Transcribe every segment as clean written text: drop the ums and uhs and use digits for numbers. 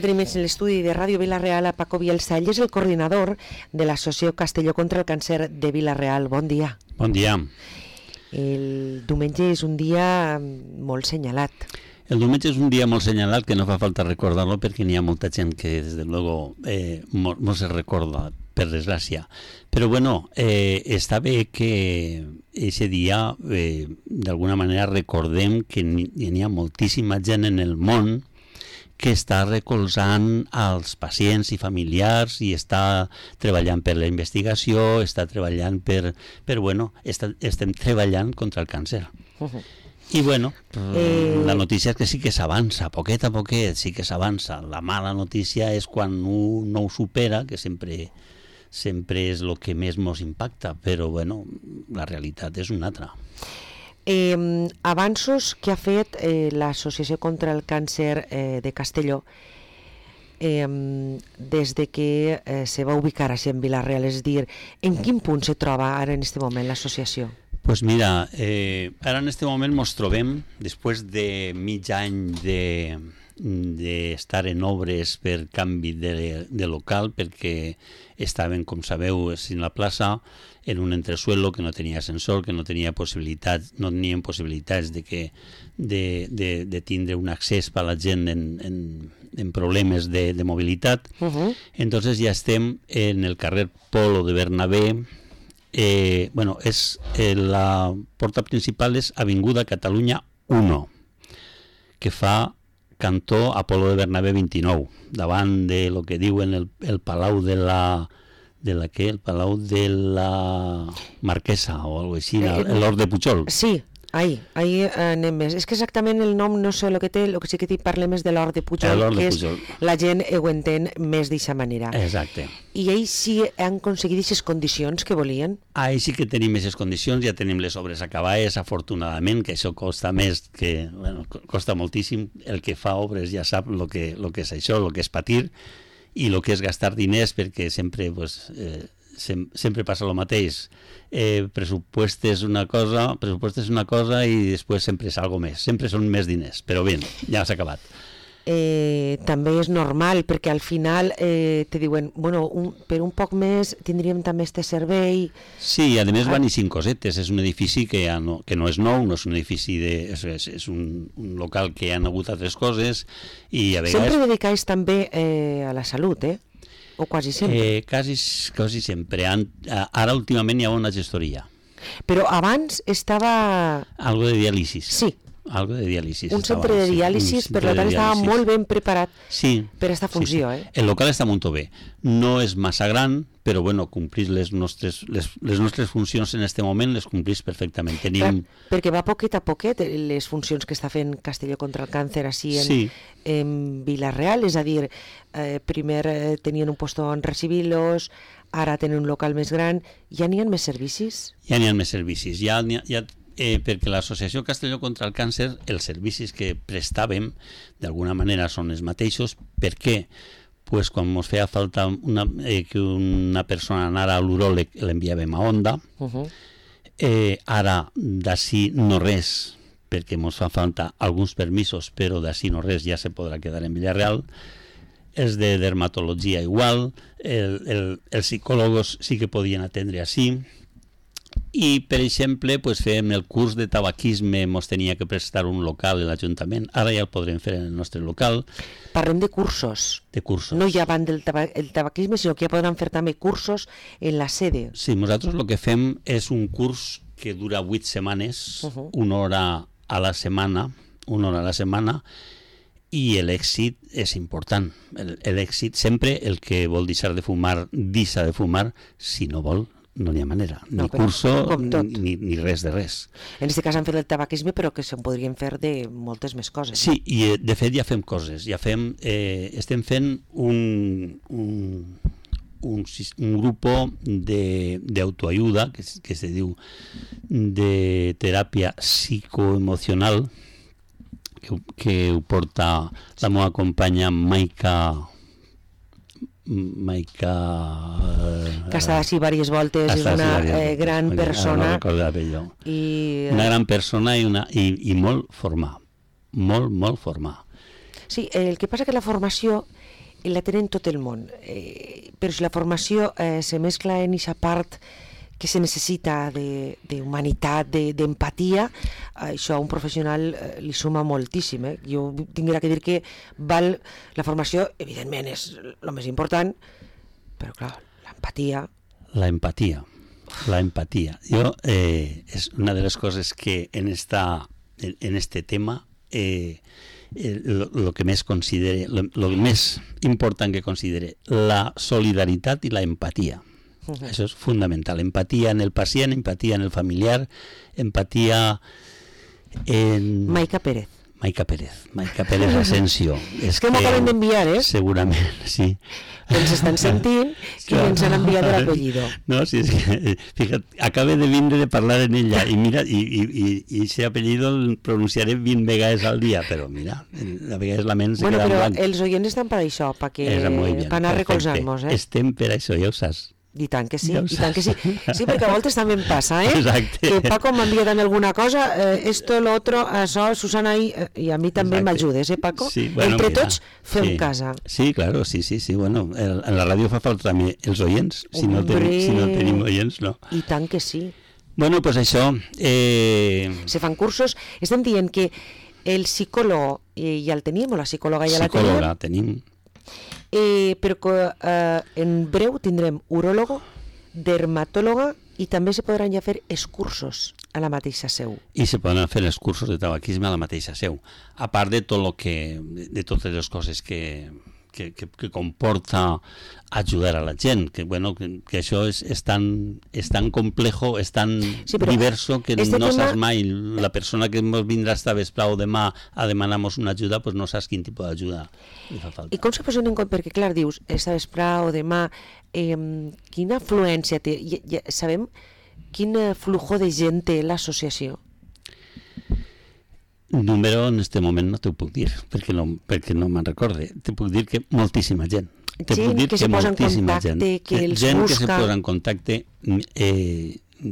Ara tenim en l'estudi de Ràdio Vila-real a Paco Bielsa. Ell és el coordinador de l'Associació Castelló contra el Càncer de Vila-real. Bon dia. Bon dia. El diumenge és un dia molt senyalat. El diumenge és un dia molt senyalat que no fa falta recordar-lo perquè n'hi ha molta gent que, des de luego, no se recorda, per desgràcia. Però, bueno, està bé que aquest dia, d'alguna manera, recordem que n'hi ha moltíssima gent en el món que està recolzant als pacients i familiars i està treballant per la investigació, està treballant estem treballant contra el càncer. I bueno, la notícia és que sí que s'avança, poquet a poquet sí que s'avança. La mala notícia és quan un no ho supera, que sempre és el que més ens impacta, però bueno, la realitat és una altra. Avanços que ha fet l'Associació contra el Càncer de Castelló des de que se va ubicar així en Vila-real, és a dir, en quin punt se troba ara en aquest moment l'associació? Pues mira, ara en este moment ens trobem, després de mig any d'estar en obres per canvi de local, perquè estaven, com sabeu, en la plaça, en un entresuelo que no tenia ascensor, que no tenien possibilitats de tindre un accés per a la gent en problemes de mobilitat. Entonces ja estem en el carrer Polo de Bernabé. La porta principal és Avinguda Catalunya 1, que fa cantó Apolo de Bernabé 29, davant de lo que diuen el Palau de la el Palau de la Marquesa o algo així, l'Hort de Pujol. Sí, ahí anem més. És que exactament el nom no sé el que té, el que sí que t'hi parlem és de l'Hort de Pujol, que és la gent ho entén més d'aquesta manera. Exacte. I ells sí han aconseguit aquestes condicions que volien? Ells sí que tenim aquestes condicions, ja tenim les obres acabades, afortunadament, que això costa més, costa moltíssim. El que fa obres ja sap el que és això, el que és patir, i el que és gastar diners, perquè sempre passa el mateix. Pressupost és una cosa i després sempre és algo més, sempre són més diners, però bé, ja s'ha acabat. També és normal, perquè al final te diuen, per un poc més tindríem també este servei. Sí, a més van i 5 cosetes, és un edifici que no és nou, no és un edifici és un local que hi ha hagut altres coses i a vegades... Sempre dedicais també a la salut, o quasi sempre? Quasi sempre. Ara últimament hi ha una gestoria. Però abans estava... Algo de diàlisis. Sí. Algo de diàlisis. Un centre de diàlisis, per tant estava molt ben preparat per aquesta funció. Sí. El local està molt bé. No és massa gran, però complir les nostres funcions en aquest moment les complís perfectament. Perquè va poquet a poquet les funcions que està fent Castelló contra el Càncer així en Vila-real, és a dir, primer tenien un lloc on recibir-los, ara tenen un local més gran. Ja n'hi ha més servicis? Ja n'hi ha més servicis. Perquè l'Associació Castelló contra el Càncer, els servicis que prestàvem d'alguna manera són els mateixos. Per què? Pues quan ens feia falta que una persona anara a l'uròleg, l'enviàvem a Onda. Ara d'ací no res, perquè ens fa falta alguns permisos, però d'ací no res, ja se podrà quedar en Vila-real. Els de dermatologia igual, els psicòlegs sí que podien atendre així. I, per exemple, fèiem el curs de tabaquisme, ens tenia que prestar un local a l'Ajuntament, ara ja el podrem fer en el nostre local. Parlem de cursos. De cursos. No ja van del tabaquisme, sinó que ja podran fer també cursos en la sede. Sí, nosaltres el que fem és un curs que dura 8 setmanes, una hora a la setmana, i l'èxit és important. L'èxit, sempre el que vol deixar de fumar, deixa de fumar, si no vol, no n'hi ha manera, ni curso ni res de res. En aquest cas han fet el tabaquisme, però que se'n podrien fer de moltes més coses. Sí, i de fet ja fem coses, estem fent un grupo d'autoayuda que se diu de teràpia psicoemocional, que ho porta la meva companya Maica, que està així diverses voltes, és una gran persona, una gran persona i molt formada. Sí, el que passa que la formació la tenen tot el món, però si la formació se mescla en aquesta part que se necessita d'humanitat, d'empatia, això a un professional li suma moltíssim. Jo tinguera que dir que la formació, evidentment, és el més important, però clar, l'empatia... La empatia. Jo, és una de les coses que en este tema lo que més considere, lo més important que considere, la solidaritat i la empatia. Això és fundamental. Empatia en el pacient, empatia en el familiar, empatia en... Maica Pérez Asensio. És que m'acaben d'enviar, Segurament, sí. Ens estan sentint i ens han enviat l'apellido. No, sí, és que, fíjate, acaba de vindre de parlar en ella i mira, i ese apellido el pronunciaré 20 vegades al dia, però mira, a vegades la ment se queda en blanc. Bueno, però els oients estan per això, per anar recolzant-nos, Estem per això, ja ho saps. I tant que sí, i tant que sí. Sí, perquè a voltes també em passa, Exacte. Que Paco m'envia també alguna cosa, esto, lo otro, això, Susana, i a mi també m'ajudes, Paco? Sí, bueno, entre tots fem casa. Sí, claro, sí, bueno, en la ràdio fa falta també els oients, si no tenim oients, no. I tant que sí. Bueno, pues això... Se fan cursos, estem dient que el psicòleg ja el tenim, o la psicòloga ja la tenim. Psicòloga tenim. Però que en breu tindrem uròlogo, dermatòloga i també se podran ja fer els cursos a la mateixa seu. I se poden fer els cursos de tabaquisme a la mateixa seu, a part de totes les coses que comporta ajudar a la gent, que això és tan complejo, és tan diverso que no saps mai, la persona que ens vindrà esta vesprà o demà a demanar-nos una ajuda, pues no saps quin tipus d'ajuda li fa falta. I com se posen en compte? Perquè clar, dius, esta vesprà o demà, quina afluència té? Sabem quin flujo de gent té l'associació? Número en este moment no t'ho puc dir, perquè no me'n recorde. Te puc dir que moltíssima gent. Gent que se posa en contacte, que els busca. Gent que se posa en contacte,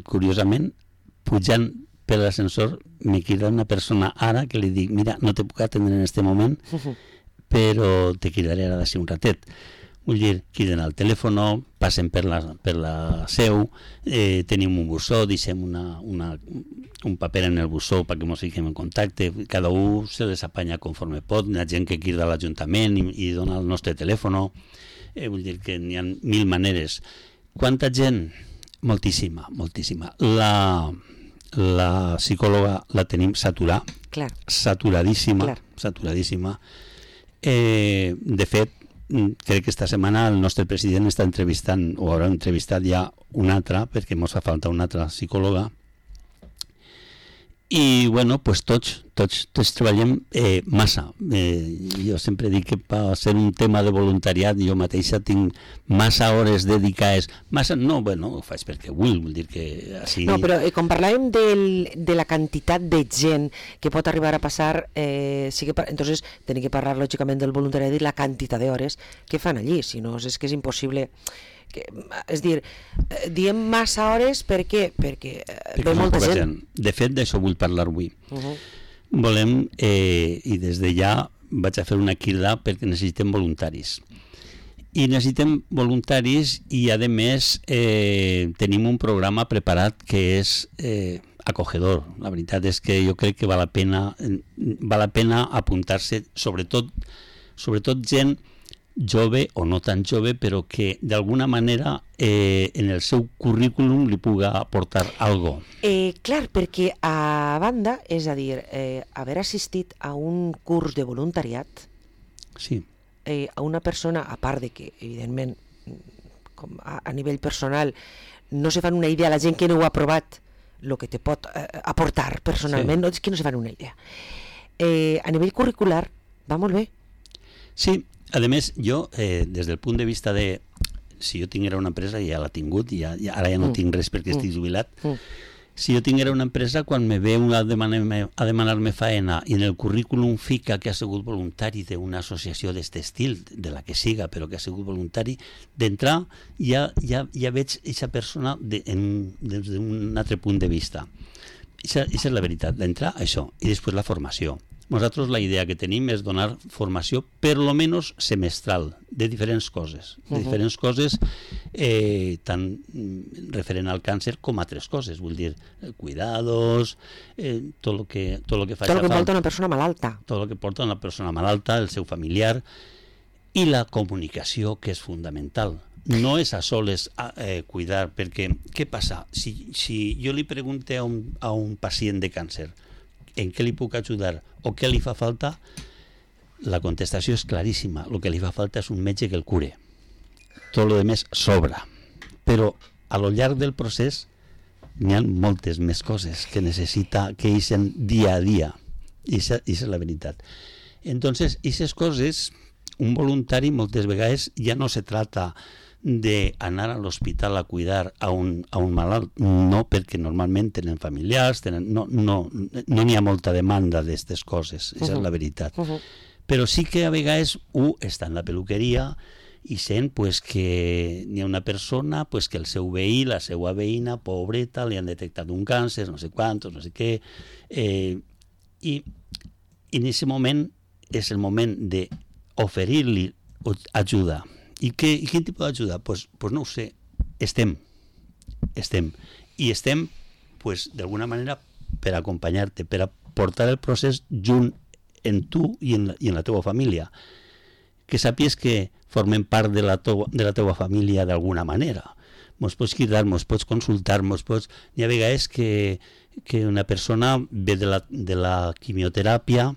curiosament, pujant per l'ascensor, me crida una persona ara que li dic, mira, no te puc atendre en este moment, però te cridaré ara d'ací un ratet. Vull dir, criden al telèfon, passen per la seu, tenim un bussó, deixem un paper en el bussó perquè ens fiquem en contacte, cada un se les apanya conforme pot, hi ha gent que crida a l'Ajuntament i dona el nostre telèfon, vull dir que n'hi ha 1000 maneres. Quanta gent? Moltíssima. La psicòloga la tenim saturadíssima. De fet, crec que esta setmana el nostre president està entrevistant, o haurà entrevistat ja una altra, perquè ens fa falta una altra psicòloga. I, bueno, pues tots treballem massa. Jo sempre dic que per ser un tema de voluntariat jo mateixa tinc massa hores dedicades. Massa, no, bueno, ho faig perquè vull dir que així... No, però com parlàvem de la quantitat de gent que pot arribar a passar, entonces tenim que parlar lògicament del voluntariat i la quantitat d'hores que fan allí, si no és que és impossible... És dir, diem massa hores perquè ve molta gent. De fet, d'això vull parlar avui. Volem, i des de ja vaig a fer una crida perquè necessitem voluntaris. I necessitem voluntaris i, a més, tenim un programa preparat que és acogedor. La veritat és que jo crec que val la pena apuntar-se, sobretot gent jove o no tan jove, però que d'alguna manera en el seu currículum li puga aportar algo. Clar, perquè a banda, és a dir, haver assistit a un curs de voluntariat, sí. A una persona, a part de que, evidentment, com a nivell personal, no se fan una idea, la gent que no ho ha provat, el que te pot aportar personalment, sí. És que no se fan una idea. A nivell curricular, va molt bé. Sí. A més, jo, des del punt de vista de... Si jo tinguera una empresa, ja l'ha tingut, ara ja no tinc res perquè estic jubilat. Si jo tinguera una empresa, quan me ve a demanar-me faena i en el currículum fica que ha sigut voluntari d'una associació d'aquest estil, de la que siga, però que ha sigut voluntari, d'entrar ja veig aquesta persona des d'un altre punt de vista. Això és la veritat, d'entrar, això, i després la formació. Nosaltres la idea que tenim és donar formació per lo menos semestral de diferents coses, tant referent al càncer com a altres coses, vull dir, cuidados, tot el que faci falta. Tot el que porta una persona malalta. Tot el que porta una persona malalta, el seu familiar, i la comunicació, que és fundamental. No és a soles cuidar, perquè què passa? Si jo li pregunte a un pacient de càncer en què li puc ajudar o què li fa falta, la contestació és claríssima. El que li fa falta és un metge que el cure. Tot el més sobra. Però a lo llarg del procés n'hi ha moltes més coses que necessita que eixen dia a dia. I això és la veritat. Entonces, aquestes coses, un voluntari moltes vegades ja no se trata d'anar a l'hospital a cuidar a un malalt, no, perquè normalment tenen familiars, no n'hi ha molta demanda d'aquestes coses, això és la veritat. Però sí que a vegades està en la peluqueria i sent que n'hi ha una persona que el seu veí, la seva veïna, pobreta, li han detectat un càncer, no sé quantos, no sé què, i en aquest moment és el moment d'oferir-li ajuda. I quin tipus d'ajuda? Pues no ho sé. Estem. I estem, d'alguna manera, per acompanyar-te, per a portar el procés junt en tu i en la teva família. Que sàpies que formem part de la teva família d'alguna manera. Mos pots cridar, mos pots consultar, N'hi ha vegades que una persona ve de la quimioteràpia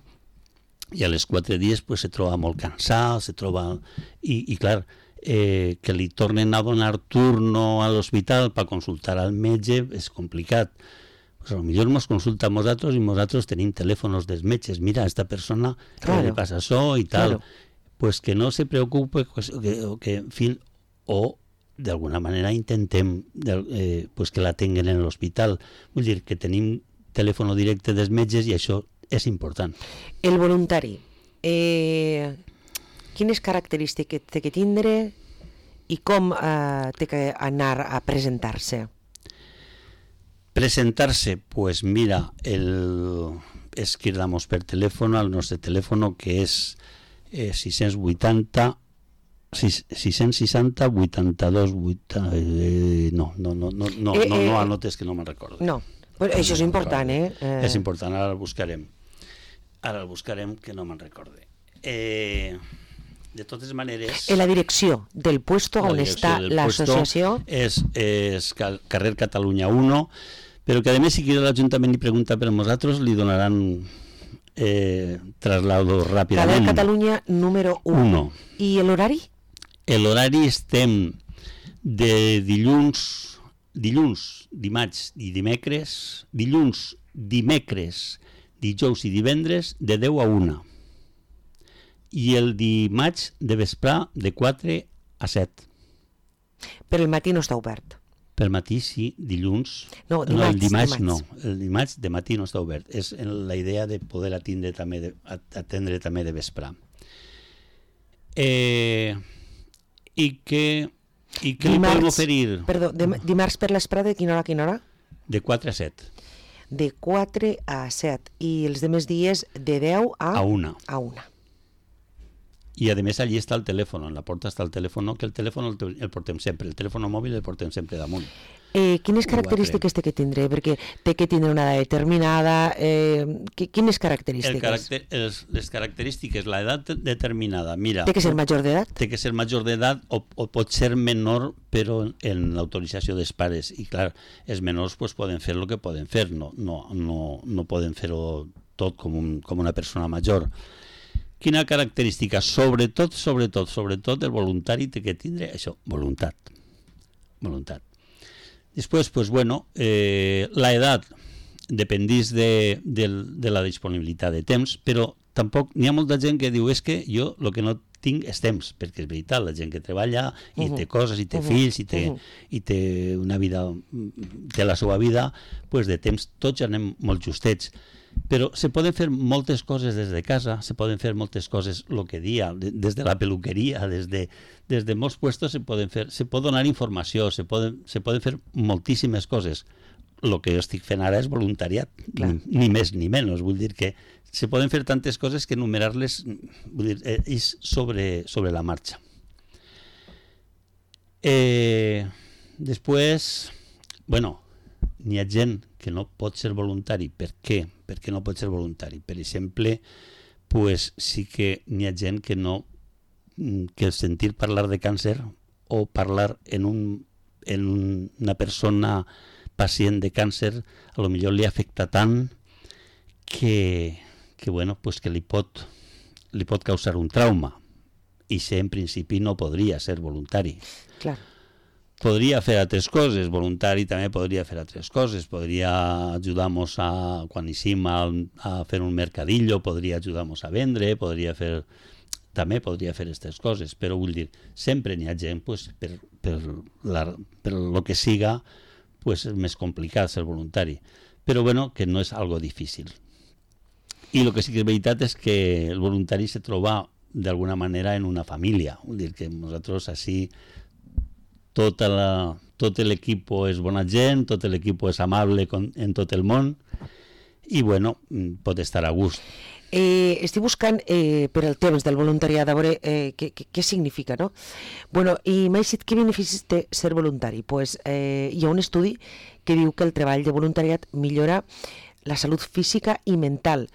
i a les 4 dies se troba molt cansat, i clar, que li tornen a donar turno a l'hospital per consultar al metge és complicat. Potser ens consulta a nosaltres i nosaltres tenim telèfons dels metges. Mira, a esta persona li passa això i tal. Pues que no se preocupe, o d'alguna manera intentem que la tinguen en l'hospital. Vull dir que tenim telèfon directe dels metges i això és important. El voluntari, quines característiques té que tindre i com té que anar a presentar-se? Presentar-se, pues mira, és cridamos per telèfon al nostre telèfon, que és 660 82 no anotes que no me'n recordo. No, però això és important, És important, ara el buscarem. Que no me'n recorde. De totes maneres... En la direcció del puesto on està l'associació... És carrer Catalunya 1, però que a més si quiere l'Ajuntament i pregunta per nosaltres li donaran traslado ràpidament. Carrer Catalunya número 1. I l'horari? L'horari estem de dilluns, dimarts i dimecres, dijous i divendres de 10 a 1. I el dimarts de vesprar de 4 a 7. Però el matí no està obert. Per matí sí, dilluns. No, dimarts no. El dimarts de matí no està obert. És la idea de poder atendre també de vesprar. I què li podem oferir? Perdó, dimarts per l'esprà de quina hora? De 4 a 7. De 4 a 7. I els demés dies de 10 a 1. I a més allí està el telèfon, en la porta està el telèfon, que el telèfon el portem sempre, el telèfon mòbil el portem sempre damunt. Quines característiques té que tindre? Perquè té que tindre una edat determinada. Quines característiques? Les característiques, l'edat determinada, mira... Té que ser major d'edat? Té que ser major d'edat o pot ser menor, però en l'autorització dels pares. I clar, els menors poden fer el que poden fer, no poden fer-ho tot com una persona major. Quina característica? Sobretot, el voluntari té que tindre això, voluntat. Després, l'edat dependís de la disponibilitat de temps, però tampoc n'hi ha molta gent que diu és que jo el que no tinc és temps, perquè és veritat, la gent que treballa i té coses, i té fills, i té una vida, té la seva vida, de temps tots anem molt justets. Però se poden fer moltes coses des de casa, se poden fer moltes coses, el que dia, des de la peluqueria, des de molts puestos se pot donar informació, se poden fer moltíssimes coses. el que jo estic fent ara és voluntariat, ni més ni menys. Vull dir que se poden fer tantes coses que enumerar-les és sobre la marxa. Després, n'hi ha gent que no pot ser voluntari. Per què? Per què no pot ser voluntari? Per exemple, pues sí que n'hi ha gent que no, que sentir parlar de càncer o parlar en una persona pacient de càncer a lo millor li afecta tant que li pot causar un trauma, i en principi no podria ser voluntari. Clar. Podria fer altres coses, voluntari també podria fer altres coses, podria ajudar-nos quan eixim a fer un mercadillo, podria ajudar-nos a vendre, també podria fer aquestes coses, però vull dir, sempre n'hi ha gent, per lo que siga, és més complicat ser voluntari, però que no és algo difícil. I el que sí que és veritat és que el voluntari se troba d'alguna manera en una família, vull dir que nosaltres així tot l'equip és bona gent, tot l'equip és amable en tot el món i pot estar a gust. Estic buscant per el temps del voluntariat, a veure què significa, no? I m'ha dit què beneficis té ser voluntari. Hi ha un estudi que diu que el treball de voluntariat millora la salut física i mental,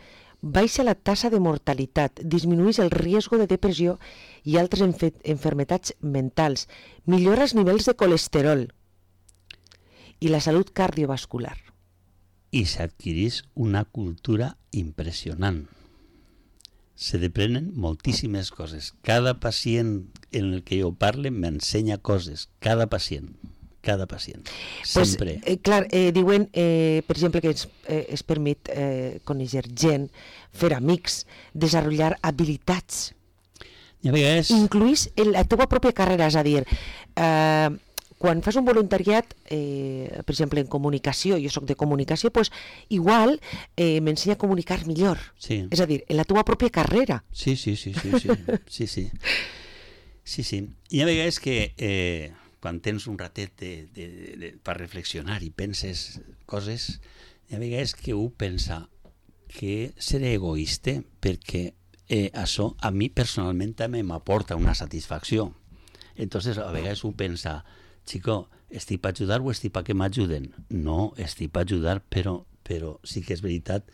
baixa la tasa de mortalitat, disminueix el risc de depressió i altres enfermetats mentals, millora els nivells de colesterol i la salut cardiovascular. I s'adquireix una cultura impressionant. Se deprenen moltíssimes coses. Cada pacient en el que jo parle m'ensenya coses. Cada pacient. Sempre. Diuen, per exemple, que es permet conèixer gent, fer amics, desenvolupar habilitats. Incluís la teva pròpia carrera, és a dir, quan fas un voluntariat, per exemple, en comunicació, jo soc de comunicació, igual m'ensenya a comunicar millor. Sí. És a dir, en la teva pròpia carrera. Sí. Hi ha vegades que quan tens un ratet per reflexionar i penses coses, hi ha vegades que un pensa que seré egoista perquè això a mi personalment també m'aporta una satisfacció. Entonces a vegades un pensa, chico, estic per ajudar o estic perquè m'ajuden? No, estic per ajudar, però sí que és veritat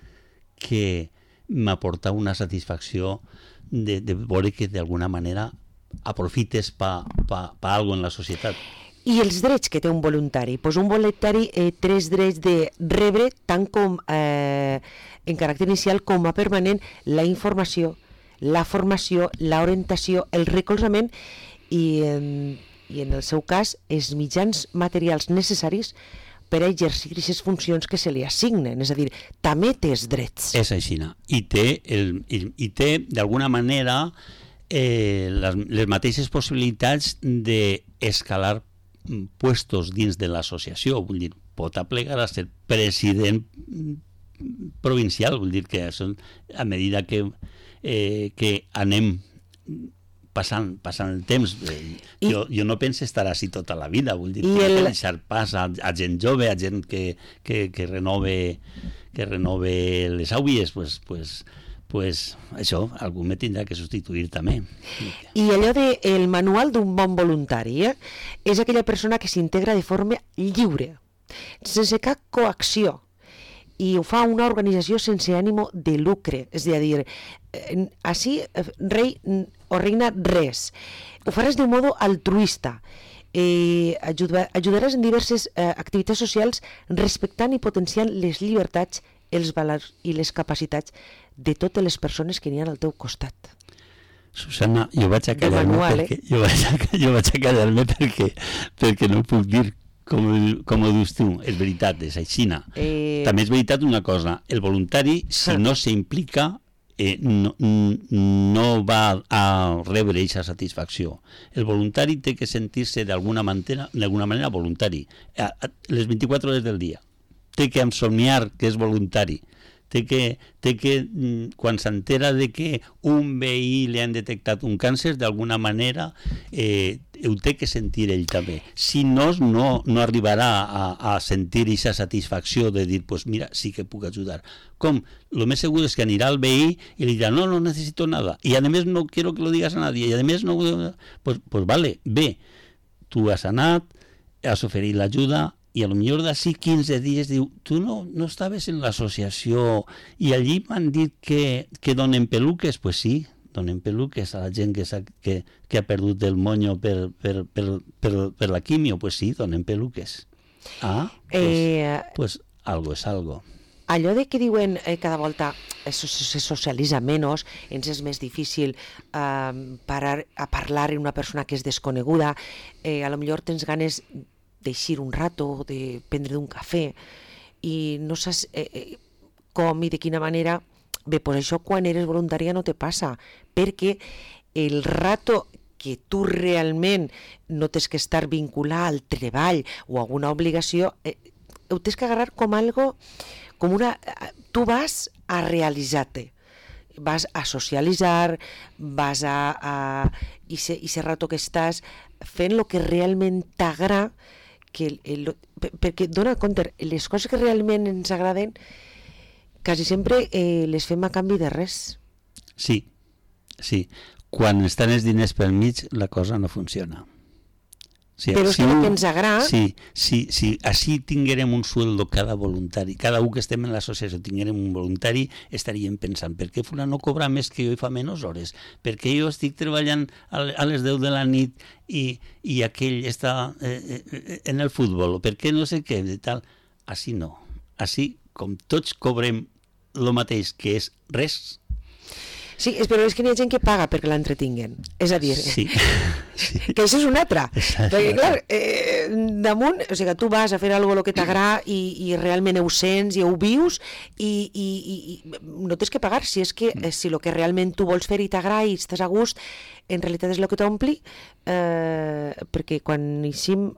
que m'aporta una satisfacció de veure que d'alguna manera aprofites per algo en la societat. I els drets que té un voluntari? Un voluntari té els drets de rebre, tant com en caràcter inicial com a permanent, la informació, la formació, l'orientació, el recolzament i en el seu cas els mitjans materials necessaris per a exercir aquestes funcions que se li assignen, és a dir, també té els drets. És així, i té d'alguna manera les mateixes possibilitats d'escalar puestos dins de l'associació, vull dir, pot aplegar a ser president provincial, vull dir que a mesura que anem passant el temps, jo no penso estar així tota la vida, vull dir que deixar pas a gent jove, a gent que renove les àvies, pues això, algú me tindrà que substituir també. I allò del manual d'un bon voluntari, és aquella persona que s'integra de forma lliure, sense cap coacció, i ho fa una organització sense ànimo de lucre, és a dir, així rei o reina res, ho faràs d'un modo altruista, ajudaràs en diverses activitats socials respectant i potenciant les llibertats, els valors i les capacitats de totes les persones que n'hi ha al teu costat. Susana, jo vaig a callar-me perquè no puc dir com ho dius tu. És veritat, és així. També és veritat una cosa, el voluntari, si no s'implica, no va a rebre aquesta satisfacció. El voluntari té que sentir-se d'alguna manera voluntari, les 24 hores del dia. Té que somniar que és voluntari, quan s'entera de que un veí li han detectat un càncer, d'alguna manera ho té que sentir ell també. Si no, no arribarà a sentir aquesta satisfacció de dir, pues mira, sí que puc ajudar. Com? Lo més segur és que anirà al veí i li dirà, no necesito nada, y además no quiero que lo digas a nadie, y además no... Pues vale, bé, tu has anat, has oferit l'ajuda, i a lo millor d'ací 15 dies diu, tu no estaves en l'associació i allí m'han dit que donen peluques? Pues sí, donen peluques a la gent que ha perdut el monyo per la quimio. Pues sí, donen peluques. Pues algo és algo. Allò de que diuen cada volta se socialitza menys, ens és més difícil parar a parlar amb una persona que és desconeguda, a lo millor tens ganes d'eixir un rato, de prendre un cafè, i no saps com i de quina manera. Bé, doncs això quan eres voluntària no te passa, perquè el rato que tu realment no tens que estar vinculat al treball o a alguna obligació, ho tens que agarrar com algo, com una... Tu vas a realitzar-te, vas a socialitzar, vas a... I ese rato que estàs fent el que realment t'agrada, perquè dona compte, les coses que realment ens agraden quasi sempre les fem a canvi de res. Sí. Quan estan els diners pel mig, la cosa no funciona. Però és que el que ens agrada... Si així tinguérem un sueldo cada voluntari, cada un que estem en l'associació tinguérem un voluntari, estaríem pensant, per què fulano cobra més que jo i fa menys hores? Per què jo estic treballant a les 10 de la nit i aquell està en el futbol? Per què no sé què? Tal. Així no. Així, com tots cobrem el mateix, que és res... Sí, però és que hi ha gent que paga perquè l'entretinguen. És a dir, sí. Que això és una altra. Perquè, clar, damunt, o sigui, tu vas a fer alguna cosa que t'agrada i realment ho sents i ho vius i no tens que pagar. Si és que si el que realment tu vols fer i t'agrada i estàs a gust, en realitat és el que t'ompli, perquè quan eixim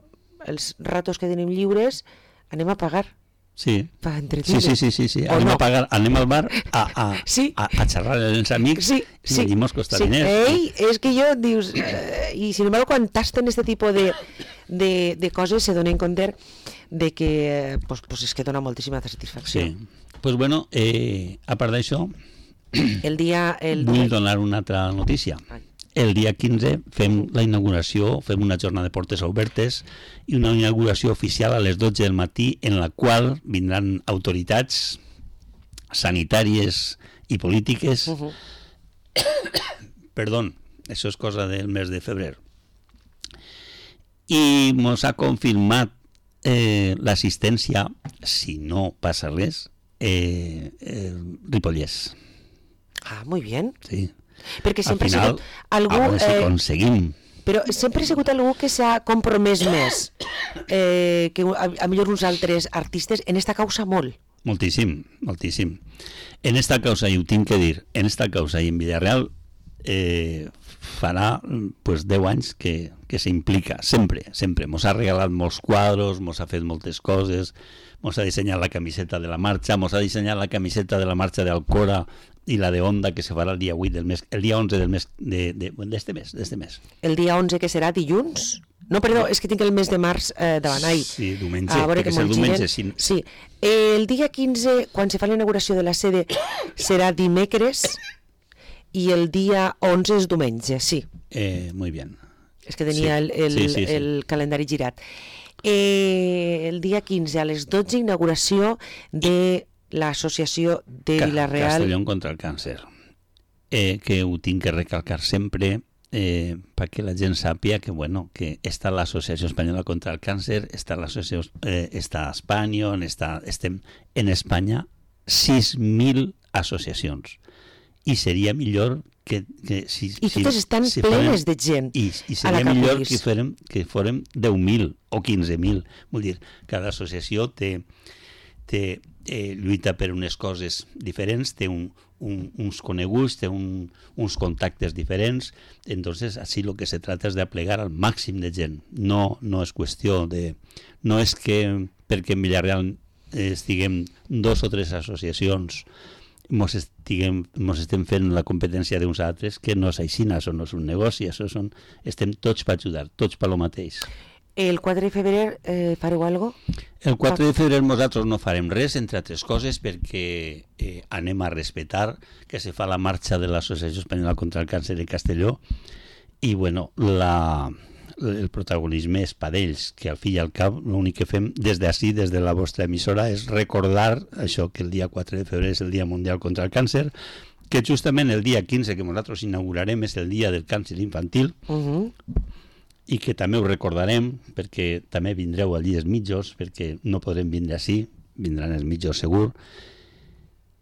els ratos que tenim lliures anem a pagar. Sí. Anem a pagar, anem al bar a xerrar amb els amics i allí mos costa diners. És que jo, dius, i sin embargo quan tasten este tipus de coses se donen compte de que pues és que dona moltíssima satisfacció. Sí. Pues bueno, a part d'això, vull donar una altra notícia. El dia 15 fem la inauguració, fem una jornada de portes obertes i una inauguració oficial a les 12 del matí en la qual vindran autoritats sanitàries i polítiques. Perdó, això és cosa del mes de febrer. I mos ha confirmat l'assistència, si no passa res, Ripollès. Muy bien. Sí. Perquè sempre ha sigut algú... A veure si aconseguim. Però sempre ha sigut algú que s'ha compromès més que a millor uns altres artistes en esta causa molt. Moltíssim. En esta causa, i ho tinc que dir, en esta causa i en Villarreal farà 10 anys que s'implica, sempre. Mos ha regalat molts quadros, mos ha fet moltes coses, mos ha dissenyat la camiseta de la marxa, mos ha dissenyat la camiseta de la marxa d'Alcora i la de Onda, que se farà el dia 8 del mes, el dia 11 del mes d'este mes. El dia 11, que serà dilluns? No, perdó, és que tinc el mes de març davant. Sí, diumenge, perquè és el diumenge. Sí. El dia 15, quan se fa la inauguració de la sede, serà dimecres i el dia 11 és diumenge, sí. Muy bien. És que tenia el calendari girat. El dia 15 a les 12, inauguració de l'associació de Vilareal... Castellón contra el càncer. Que ho tinc que recalcar sempre perquè la gent sàpiga que està l'Associació Espanyola contra el Càncer, està l'associació, està Espanya, estem en Espanya 6.000 associacions. I seria millor que I totes estan plenes de gent. I seria millor que fórem 10.000 o 15.000. Vull dir, cada associació lluita per unes coses diferents, té uns coneguts, té uns contactes diferents. Entonces, así lo que se trata es de aplegar al màxim de gent. No és qüestió de... No és que perquè en Villarreal estiguem 2 o 3 associacions mos estem fent la competència d'uns altres, que no és així, això no és un negoci, estem tots per ajudar, tots per lo mateix. El 4 de febrer fareu alguna cosa? El 4 de febrer nosaltres no farem res, entre altres coses, perquè anem a respectar que se fa la marxa de l'Associació Espanyola contra el Càncer de Castelló i, bueno, el protagonisme és per ells, que al fi i al cap l'únic que fem des d'ací, des de la vostra emissora, és recordar això, que el dia 4 de febrer és el Dia Mundial contra el Càncer, que justament el dia 15 que nosaltres inaugurarem és el Dia del Càncer Infantil, i que també ho recordarem, perquè també vindreu allí els mitjos, perquè no podrem vindre ací, vindran els mitjos segur.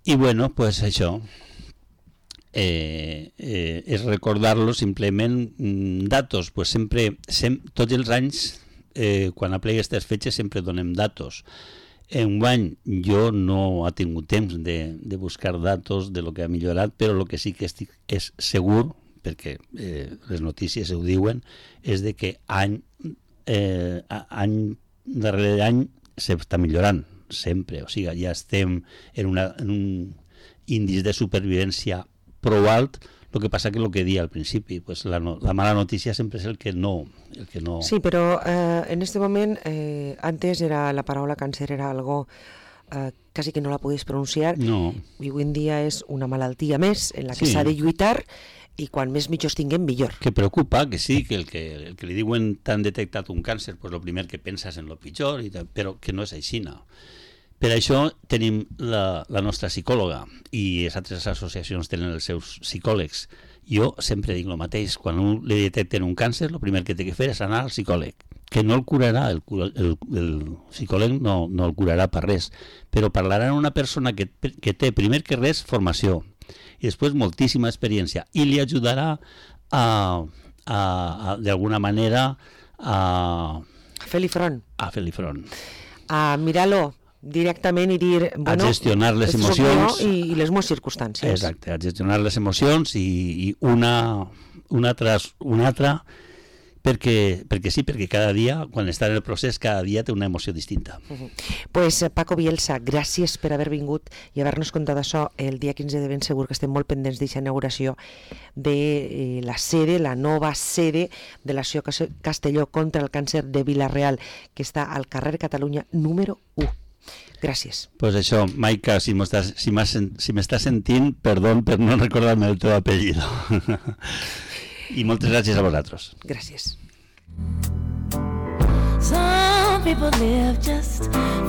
I bueno, pues això, és recordar-lo simplement datos, pues sempre tots els anys quan aplega aquestes fetges sempre donem datos. Enguany jo no he tingut temps de buscar datos de lo que ha millorat, però el que sí que és segur, perquè les notícies ho diuen, és de que any darrere any s'està millorant sempre, o sigui, ja estem en un índice de supervivència prou alt. El que passa que el que dia al principi, pues la mala notícia sempre és el que no... Sí, però en este moment, antes la paraula càncer era algo quasi que no la podies pronunciar, no. I avui en dia és una malaltia més en la que s'ha de lluitar, i quan més mitjos tinguem, millor. Que preocupa, que sí, que el que li diuen t'han detectat un càncer, pues el primer que penses en lo pitjor, però que no és així, no. Per això tenim la nostra psicòloga i les altres associacions tenen els seus psicòlegs. Jo sempre dic el mateix, quan li detecten un càncer, el primer que té que fer és anar al psicòleg, que no el curarà, el psicòleg no el curarà per res, però parlarà amb una persona que té, primer que res, formació, i després moltíssima experiència, i li ajudarà d'alguna manera a fer-li front. A mirar-lo directament i dir... Bueno, a gestionar les emocions. I les meves circumstàncies. Exacte, a gestionar les emocions i una altra, perquè sí, perquè cada dia, quan està en el procés, cada dia té una emoció distinta. Pues Paco Bielsa, gràcies per haver vingut i haver-nos contat això el dia 15 de ben segur, que estem molt pendents d'aquesta inauguració de la sede, la nova sede de l'Associació Castelló contra el Càncer de Vila-real, que està al carrer Catalunya número 1. Gràcies. Pues això, Maica, si m'estàs sentint, perdó per no recordar-me el teu apellido. I moltes gràcies a vosaltres. Gràcies. Some people live just for